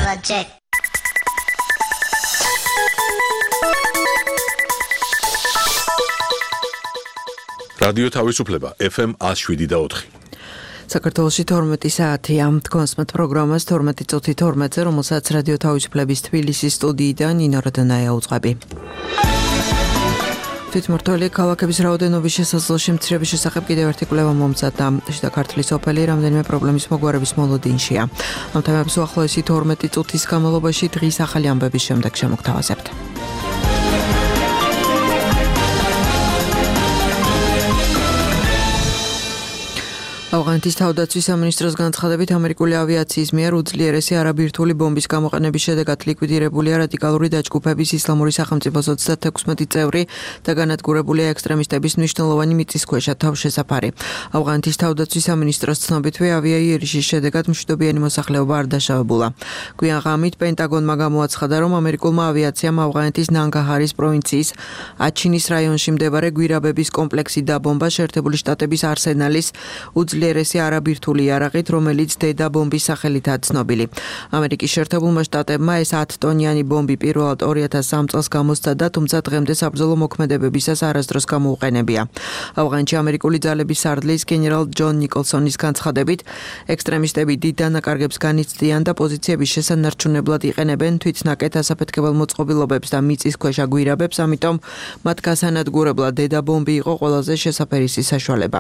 project. რადიო თავისუფლება FM 107.4. საქართველოში 12 საათია. თქვენსმეთ პროგრამას 12 წუთი 12-ზე, რომელსაც რადიო თავისუფლების თბილისის სტუდიიდან ნინო როდონაია უძღვები. თვითმმართველი ქალაქების რაოდენობის შესაძლოა მცირების შესახებ კიდევ ერთი კვლევა მომზადდა. შიდა ქართლის სოფელი რამდენიმე პრობლემის მოგვარების მოლოდინშია. ამ თემებს უახლოესი 12 წუთის განმავლობაში დღის ახალი ამბების შემდეგ შემოგთავაზებთ. ავღანეთის თავდაცვის სამინისტროს განცხადებით ამერიკული ავიაციის მიერ უძლიერესი არაბირთული ბომბის გამოყენების შედეგად ლიკვიდირებულია რადიკალური დაჯგუფების ისლამური სახელმწიფოს 36 წევრი და განადგურებულია ექსტრემისტების მნიშვნელოვანი მიწისქვეშა თავშესაფარი. ავღანეთის თავდაცვის სამინისტროს ცნობითვე ავიაიერიშის შედეგად მშვიდობიანი მოსახლეობა არ დაშავებულა. გვიან ღამით პენტაგონმა გამოაცხადა, რომ ამერიკულმა ავიაციამ ავღანეთის ნანგაჰარის პროვინციის აჩინის რაიონში მდებარე გვირაბების კომპლექსი დაბომბა შეერთებული შტატების არსენალის უძლიერესი არაბირთული იარაღით, რომელიც დედა ბომბის სახელითაა ცნობილი. ამერიკის შეერთებულმა შტატებმა ეს 10 ტონიანი ბომბი პირველად 2003 წელს გამოსცადა, თუმცა დღემდე საბრძოლო მოქმედებებისას არასდროს გამოუყენებია. ავღანეთში ამერიკული ძალების სარდლის გენერალ ჯონ ნიკოლსონის განცხადებით, ექსტრემისტები დიდ დანაკარგებს განიცდიან და პოზიციების შესანარჩუნებლად იყენებენ თვითნაკეთ ასაფეთქებელ მოწყობილობებს და მიწისქვეშა გვირაბებს, ამიტომ მათ გასანადგურებლად დედა ბომბი იყო ყველაზე შესაფერისი საშუალება.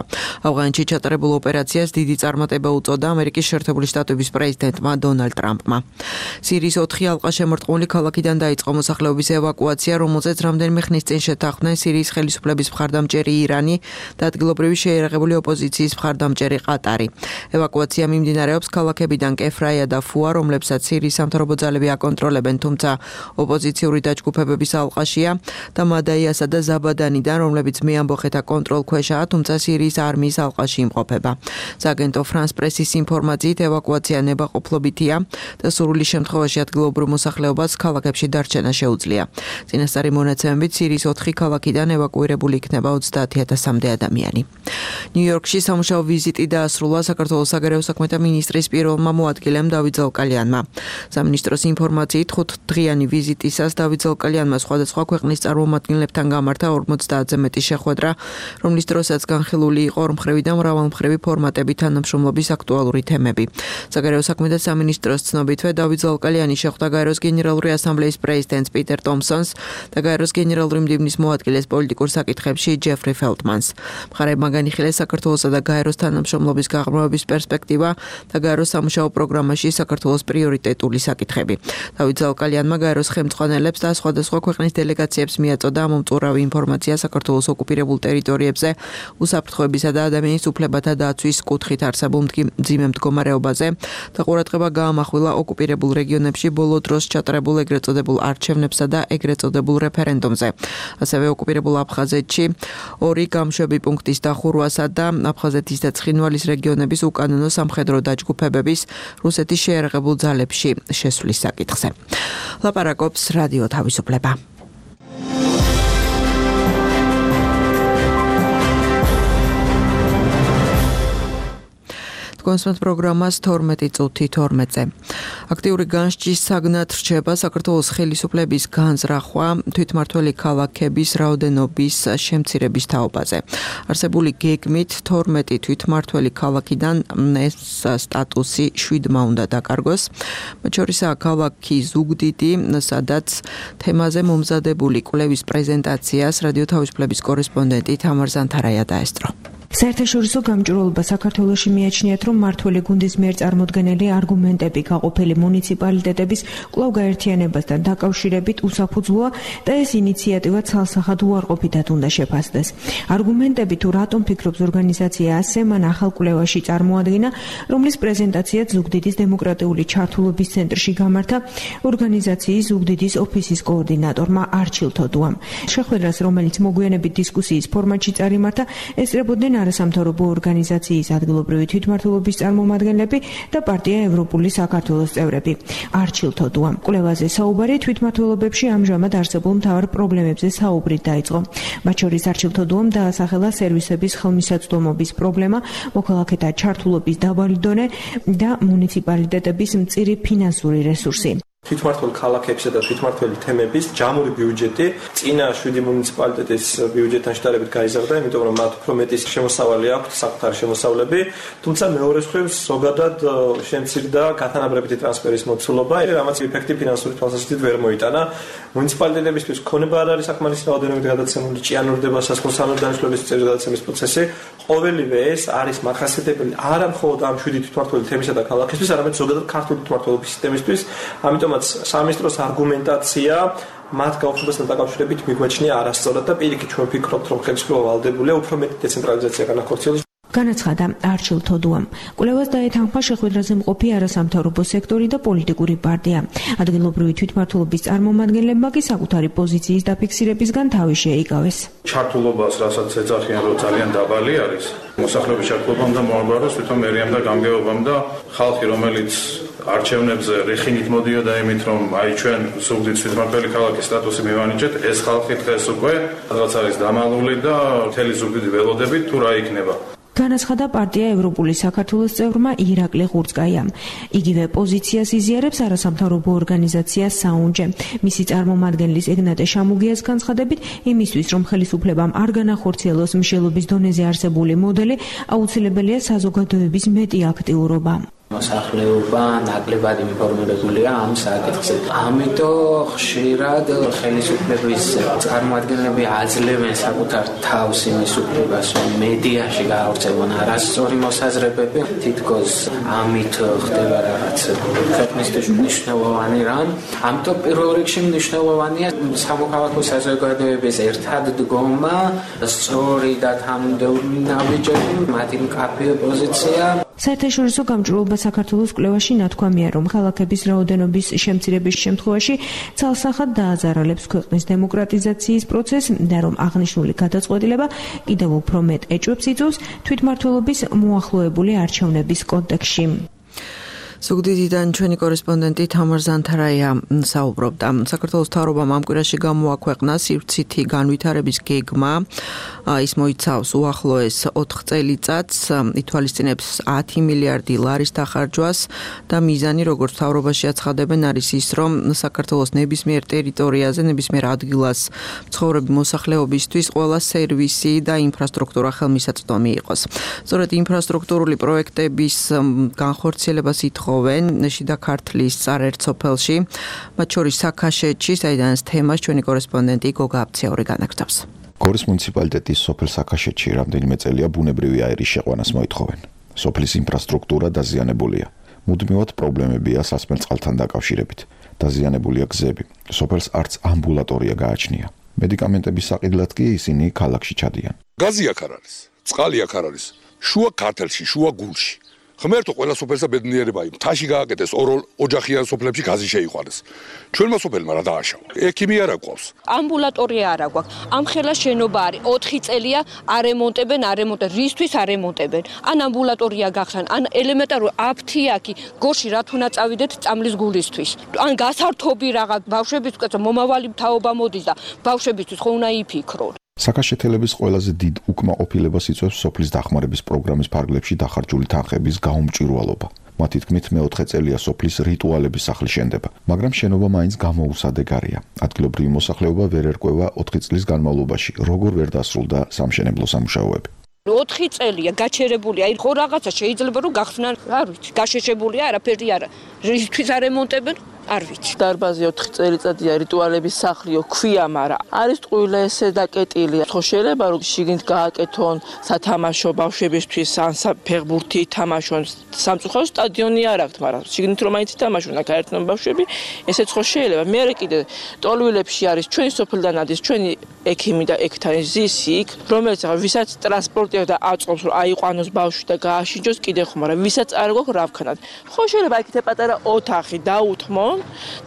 ავღანეთში ჩატარებულ ოპერაციას დიდი წარმატება უწოდა ამერიკის შეერთებული შტატების პრეზიდენტმა დონალდ ტრამპმა. სირიის 4 ალყა შემორტყმული ქალაქიდან დაიწყო მოსახლეობის ევაკუაცია, რომელზეც რამდენიმე ხნის წინ შეთანხმდნენ სირიის ხელისუფლების მხარდამჭერი ირანი და ადგილობრივი შეიარაღებული ოპოზიციის მხარდამჭერი ყატარი. ევაკუაცია მიმდინარეობს ქალაქებიდან კეფრაია და ფუა, რომლებსაც სირიის სამთავრობო ძალები აკონტროლებენ, თუმცა ოპოზიციური დაჯგუფებების ალყაშია და მადაიასა და ზაბადანიდან, რომლებიც მეამბოხეთა კონტროლქვეშაა, თუმცა სირიის არმიის ალყაში იმყოფება. სააგენტო ფრანს პრესის ინფორმაციით ევაკუაცია ნებაყოფლობითია და სურვილი შემთხვევაში ადგილობრივ მოსახლეობას ქალაქებში დარჩენა შეუძლია. წინასწარი მონაცემებით სირიის 4 ქალაქიდან ევაკუირებული იქნება 30,000-მდე ადამიანი. ნიუ-იორკში სამუშაო ვიზიტი დაასრულა საქართველოს საგარეო საქმეთა მინისტრის პირველმა მოადგილემ დავით ზალკალიანმა. სამინისტროს ინფორმაციით 5 დღიანი ვიზიტისას დავით ზალკალიანმა სხვადასხვა ქვეყნის წარმომადგენლებთან გამართა 50-ზე მეტი შეხვედრა, რომლის დროსაც განხილული იყო ორმხრივი და მრავალმხრივი ფორმატები თანამშრომლობის აქტუალური თემები. საგარეო საქმეთა სამინისტროს ცნობითვე დავით ზალკალიანი შეხვდა გაეროს გენერალური ასამბლეის პრეზიდენტს პიტერ ტომსონს და გაეროს გენერალური მდივნის მოადგილეს პოლიტიკურ საკითხებში ჯეფრი ფელტმანს. მხარეებმა განიხილეს საქართველოსა და გაეროს თანამშრომლობის გაღრმავების პერსპექტივა და გაეროს სამუშაო პროგრამაში საქართველოს პრიორიტეტული საკითხები. დავით ზალკალიანმა გაეროს ხელმძღვანელებს და სხვადასხვა ქვეყნის დელეგაციებს მიაწოდა მომწურავი ინფორმაცია საქართველოს ოკუპირებულ ტერიტორიებზე უსაფრთხოებისა და ადამიანის უფლებათა დაცვის კუთხით არსებულ მძიმე მდგომარეობაზე და ყურადღება გაამახვილა ოკუპირებულ რეგიონებში ბოლო დროს ჩატარებულ ეგრეთ წოდებულ არჩევნებსა და ეგრეთ წოდებულ რეფერენდუმზე. ასევე ოკუპირებულ აფხაზეთში 2 გამშვები პუნქტის დახურვასა და აფხაზეთის და ცხინვალის რეგიონების უკანონო სამხედრო დაჯგუფებების რუსეთის შეიარაღებულ ძალებში შესვლის საკითხზე. ლაპარაკობს რადიო თავისუფლება. კონსმეთ პროგრამას 12 წუთი 12-ზე. აქტიური განსჯის საგნად რჩება საქართველოს ხელისუფლების განზრახვა თვითმმართველი ქალაქების რაოდენობის შემცირების თაობაზე. არსებული გეგმით 12 თვითმმართველი ქალაქიდან ეს სტატუსი 7-მა უნდა დაკარგოს. მათ შორისაა ქალაქი ზუგდიდი, სადაც თემაზე მომზადებული კვლევის პრეზენტაციას რადიო თავისუფლების კორესპონდენტი თამარ ზანთარაია დაესწრო. საერთაშორისო გამჭვირვალობა საქართველოში მიაჩნიათ, რომ მმართველი გუნდის მიერ წარმოდგენილი არგუმენტები გაყოფილი მუნიციპალიტეტების კვლავ გაერთიანებასთან დაკავშირებით უსაფუძვლოა და ეს ინიციატივა ცალსახად უარყოფითად უნდა შეფასდეს. არგუმენტები თუ რატომ ფიქრობს ორგანიზაცია ასე, მან ახალ კვლევაში წარმოადგინა, რომლის პრეზენტაცია ზუგდიდის დემოკრატიული ჩართულობის ცენტრში გამართა ორგანიზაციის ზუგდიდის ოფისის კოორდინატორმა არჩილ თოდუამ. შეხვედრას, რომელიც მოგვიანებით დისკუსიის ფორმატში წარიმართა, ესწრებოდნენ არასამთავრობო ორგანიზაციის ადგილობრივი თვითმმართველობის წარმომადგენლები და პარტია ევროპული საქართველოს წევრები. არჩილ თოდუამ კვლევაზე საუბარი თვითმმართველობებში ამჟამად არსებულ მთავარ პრობლემებზე საუბრით დაიწყო. მათ შორის არჩილ თოდუამ დაასახელა სერვისების ხელმისაწვდომობის პრობლემა, მოქალაქეთა ჩართულობის დაბალი დონე და მუნიციპალიტეტების მწირი ფინანსური რესურსი. თვითმმართველ ქალაქებსა და თვითმმართველი თემების ჯამური ბიუჯეტი წინა 7 მუნიციპალიტეტის ბიუჯეტთან შედარებით გაიზარდა, იმიტომ რომ მათ უფრო მეტი შემოსავალი აქვთ, საკუთარი შემოსავლები, თუმცა მეორე მხრივ ზოგადად შემცირდა გათანაბრებითი ტრანსფერის მოცულობა, რამაც ეფექტი ფინანსური თვალსაზრისით ვერ მოიტანა. მუნიციპალიტეტებისთვის ქონება არ არის საკმარისი რაოდენობით გადაცემული, ჭიანურდება სასქესო დანიშნულების წესის გადაცემის პროცესი. ყოველივე ეს არის მახასიათებელი არა მხოლოდ ამ 7 თვითმმართველი თემისა და ქალაქისთვის, არამედ ზოგადად ქართული თვითმმართველობის სისტემისთვის. ამიტომაც სამინისტროს არგუმენტაცია მათ გაუქმებასთან დაკავშირებით მიგვაჩნია არასწორად და პირიქით ჩვენ ვფიქრობთ, რომ ხელისუფლება ვალდებულია უფრო მეტი დეცენტრალიზაცია განახორციელოს. განაცხადა არჩილ თოდუამ. კვლევას დაეთანხმა შეხვედრაზე მყოფი არასამთავრობო სექტორი და პოლიტიკური პარტია. ადგილობრივი თვითმმართველობის წარმომადგენლებმა კი საკუთარი პოზიციის დაფიქსირებისგან თავი შეიკავეს. ჩართულობას, რასაც ეძახიან, რომ ძალიან დაბალი არის, მოსახლეობის ჩართულობამ და მოაბაროს თვითონ მერიამ და გამგეობამ და ხალხი, რომელიც არჩევნებზე რეხინით მოდიოდა იმით, რომ აი ჩვენ სუგდით თვითმმართველი ქალაქის სტატუსი მივანიჭეთ, ეს ხალხი დღეს უკვე რაღაც არის დამალული და მთელი ზუგდიდი ველოდებით თუ რა იქნება. განაცხადა პარტია ევროპული საქართველოს წევრმა ირაკლი ღურწკაიამ. იგივე პოზიციას იზიარებს არასამთავრობო ორგანიზაცია საუნჯე. მისი წარმომადგენლის ეგნატე შამუგიას განცხადებით, იმისთვის რომ ხელისუფლებამ არ განახორციელოს მშელობის დონეზე არსებული მოდელი, აუცილებელია საზოგადოების მეტი აქტიურობა. მოსახლეობა ნაკლებად ინფორმირებულია ამ საკითხზე. ამიტომ ხშირად ხელისუფლების წარმომადგენლები აძლევენ საკუთარ თავს იმის უფლებას, რომ მედიაში გაავრცელონ არასწორი მოსაზრებები. თითქოს ამით ხდება რაღაც ქვეყნისთვის მნიშვნელოვანი რამ. ამიტომ პირველ რიგში მნიშვნელოვანია სამოქალაქო საზოგადოების ერთად დგომა, სწორი და თანმიმდევრული ნაბიჯები, მათი მკაფიო პოზიცია. საერთაშორისო გამჭვირვალობა საქართველოს კვლევაში ნათქვამია, რომ ქალაქების რაოდენობის შემცირების შემთხვევაში ცალსახად დააზარალებს ქვეყნის დემოკრატიზაციის პროცესს და რომ აღნიშნული გადაწყვეტილება კიდევ უფრო მეტ ეჭვებს იწვევს თვითმმართველობის მოახლოებული არჩევნების კონტექსტში. ზუგდიდიდან ჩვენი კორესპონდენტი თამარ ზანთარაია საუბრობდა. საქართველოს მთავრობამ ამ კვირაში გამოაქვეყნა სივრცითი განვითარების გეგმა. ის მოიცავს უახლოეს 4 წელიწადს, ითვალისწინებს 10 მილიარდი ლარის დახარჯვას და მიზანი, როგორც მთავრობაში აცხადებენ, არის ის, რომ საქართველოს ნებისმიერ ტერიტორიაზე, ნებისმიერ ადგილას მცხოვრები მოსახლეობისთვის ყველა სერვისი და ინფრასტრუქტურა ხელმისაწვდომი იყოს. სწორედ ინფრასტრუქტურული პროექტების განხორციელებას ითხოვენ შიდა ქართლის წარერთ სოფელში, მათ შორის საქაშეთში, საიდანაც თემას ჩვენი კორესპონდენტი გოგა აბციური განაგრძობს. გორის მუნიციპალიტეტის სოფელ საქაშეთში რამდენიმე წელია ბუნებრივი აირის შეყვანას მოითხოვენ. სოფლის ინფრასტრუქტურა დაზიანებულია. მუდმივად პრობლემებია სასმელ წყალთან დაკავშირებით. დაზიანებულია გზები. სოფელს არც ამბულატორია გააჩნია. მედიკამენტების საყიდლად კი ისინი ქალაქში ჩადიან. გაზი აქ არ არის, წყალი აქ არ არის. შუა ქართლში, შუა გულში. ღმერთო ყველა სოფელსა ბედნიერება იმ მთაში გააკეთეს ოჯახიან სოფლებში გაზი შეიყვანეს. ჩვენმა სოფელმა რა დააშავა. ექიმი არ აქვს. ამბულატორია არ აქვს. ამ ხელა შენობა არის 4 წელია არემონტებენ, რისთვის არემონტებენ. ან ამბულატორია გახსან, ან ელემენტარული აფთიაქი გორში რა თუ უნდა წავიდეთ წამლის გულისთვის. ან გასართობი რაღაც ბავშვებისთვის მომავალი თაობა მოდის და ბავშვებისთვის ხო უნდა იფიქრონ. საქაშეთელების ყველაზე დიდ უკმაყოფილებას იწვევს სოფლის დახმარების პროგრამის ფარგლებში დახარჯული თანხების გაუმჭვირვალობა. მათი თქმით, მეოთხე წელია სოფლის რიტუალების სახლი შენდება, მაგრამ შენობა მაინც გამოუსადეგარია. ადგილობრივი მოსახლეობა ვერ ერკვევა 4 წლის განმავლობაში, როგორ ვერ დასრულდა სამშენებლო სამუშაოები. 4 წელია გაჩერებული, აი ხო რაღაცა შეიძლება რომ გახსნან, არ ვიცი, გაშეშებულია, არაფერი არა. რისთვის არემონტებენ? არ ვიცი. დარბაზი 4 წელიწადია რიტუალების სახლიო ქვია, მაგრამ არის ტყუილე ესე დაკეტილი. ხო შეიძლება რომ შიგნით გააკეთონ სათამაშო ბავშვებისთვის ან ფეხბურთი თამაშონ. სამწუხარო სტადიონი არ აქვს, მაგრამ შიგნით რომ მაინც თამაშონ, აქ აერთონ ბავშვები, ესეც ხო შეიძლება. მე კიდე ტოლვილებში არის ჩვენი სოფლიდან ადის ჩვენი ექიმი და ექთანი ზისი იქ, რომელიც ვისაც ტრანსპორტია და აწყობს რომ აიყვანოს ბავშვი და გააშინჯოს კიდე ხო, მაგრამ ვისაც არ გვაქვს რა ვქნათ. ხო შეიძლება აქ პატარა ოთახი დაუთმონ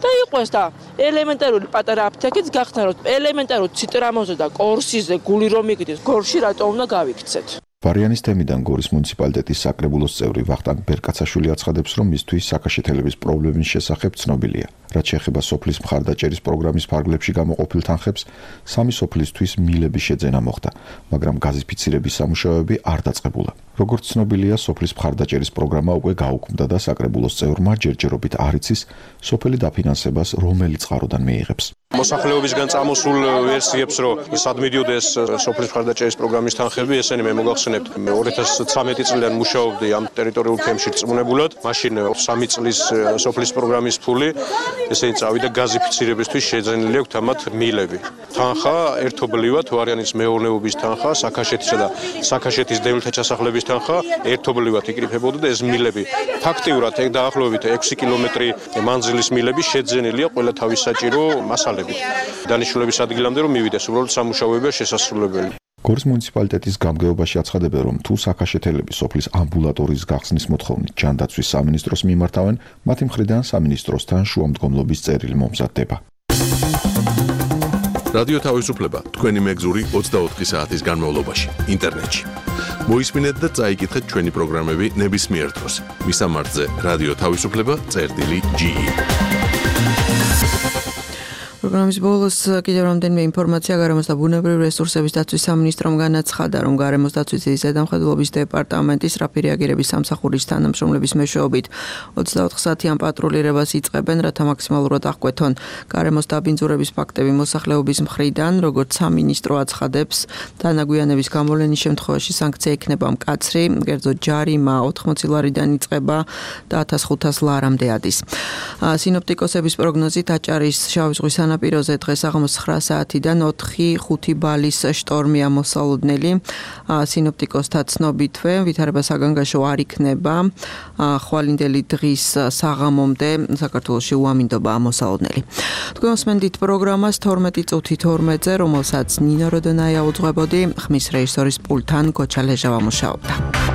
და იყოს და ელემენტარული პატარა აფთიაქიც გახსნა რომ ელემენტარულ ციტრამოზე და კორსიზე გული რომ იგდეს გორში რატო უნდა გავიქცეთ. ვარიანის თემიდან გორის მუნიციპალიტეტის საკრებულოს წევრი ვახტანგ ბერკაცაშვილი აცხადებს, რომ მისთვის საქაშეთელების პრობლემის შესახებ ცნობილია. რაც შეეხება სოფლის მხარდაჭერის პროგრამის ფარგლებში გამოყოფილ თანხებს, სამი სოფლისთვის მილების შეძენა მოხდა, მაგრამ გაზიფიცირების სამუშაოები არ დაწყებულა. როგორც ცნობილია, სოფლის მხარდაჭერის პროგრამა უკვე გაუქმდა და საკრებულოს წევრმა ჯერჯერობით არ იცის სოფელი დაფინანსებას რომელი წყაროდან მიიღებს. მოსახლეობისგან წამოსულ ვერსიებს, რომ სად მიდიოდეს სოფლის მხარდაჭერის პროგრამის თანხები, ესენი მე მოგახსენებთ 2013 წლიდან მუშაობდი ამ ტერიტორიულ თემში რწმუნებულად. მაშინ 3 წლის სოფლის პროგრამის ფული, ესე წავიდა გაზიფიცირებისთვის შეძენილი აქვს ამათ მილები. თანხა ერთობლივად ვარიანის მეურნეობის თანხა, საქაშეთისა და საქაშეთის დევნილთა ჩასახლების თანხა ერთობლივად იკრიფებოდა და ეს მილები ფაქტიურად დაახლოებით 6 კილომეტრი მანძილის მილები შეძენილია ყველა თავის საჭირო მასალებით. დანიშნულების ადგილამდე რომ მივიდეს, უბრალოდ სამუშაოებია შესასრულებელი. გორის მუნიციპალიტეტის გამგეობაში აცხადებენ, რომ თუ საქაშეთელები სოფლის ამბულატორიის გახსნის მოთხოვნით ჯანდაცვის სამინისტროს მიმართავენ, მათი მხრიდან სამინისტროსთან შუამდგომლობის წერილი მომზადდება. რადიო თავისუფლება თქვენი მეგზური 24 საათის განმავლობაში ინტერნეტში. მოისმინეთ და წაიკითხეთ ჩვენი პროგრამები ნებისმიერ დროს. მისამართზე რადიო თავისუფლება.ge. პროგრამის ბოლოს კიდევ რამდენიმე ინფორმაცია გარემოს და ბუნებრივი რესურსების დაცვის სამინისტრომ განაცხადა, რომ გარემოს დაცვის ზედამხედველობის დეპარტამენტის რაფი რეაგირების სამსახურის თანამშრომლების მეშვეობით 24 საათიან პატრულირებას იწყებენ, რათა მაქსიმალურად აღკვეთონ გარემოს დაბინძურების ფაქტები მოსახლეობის მხრიდან, როგორც სამინისტრო აცხადებს, თანაგვიანების გამოვლენის შემთხვევაში სანქცია იქნება მკაცრი, კერძოდ ჯარიმა 80 ლარიდან იწყება და 1500 ლარამდე ადის. სინოპტიკოსების პროგნოზით აჭარის შავი ზღვის სანაპიროზე დღეს აღამოს 9 საათიდან 4-5 ბალის შტორმია მოსალოდნელი. სინოპტიკოსთა ცნობითვე ვითარება საგანგაშო არ იქნება. ხვალინდელი დღის საღამომდე საქართველოში უამინდობაა მოსალოდნელი. თქვენ მოსმენთ პროგრამას 12 წუთი 12-ზე, რომელსაც ნინო როდონაია უძღვებოდი, ხმის რეჟისორის პულტთან გოჩა ლეჟავა მუშაობდა.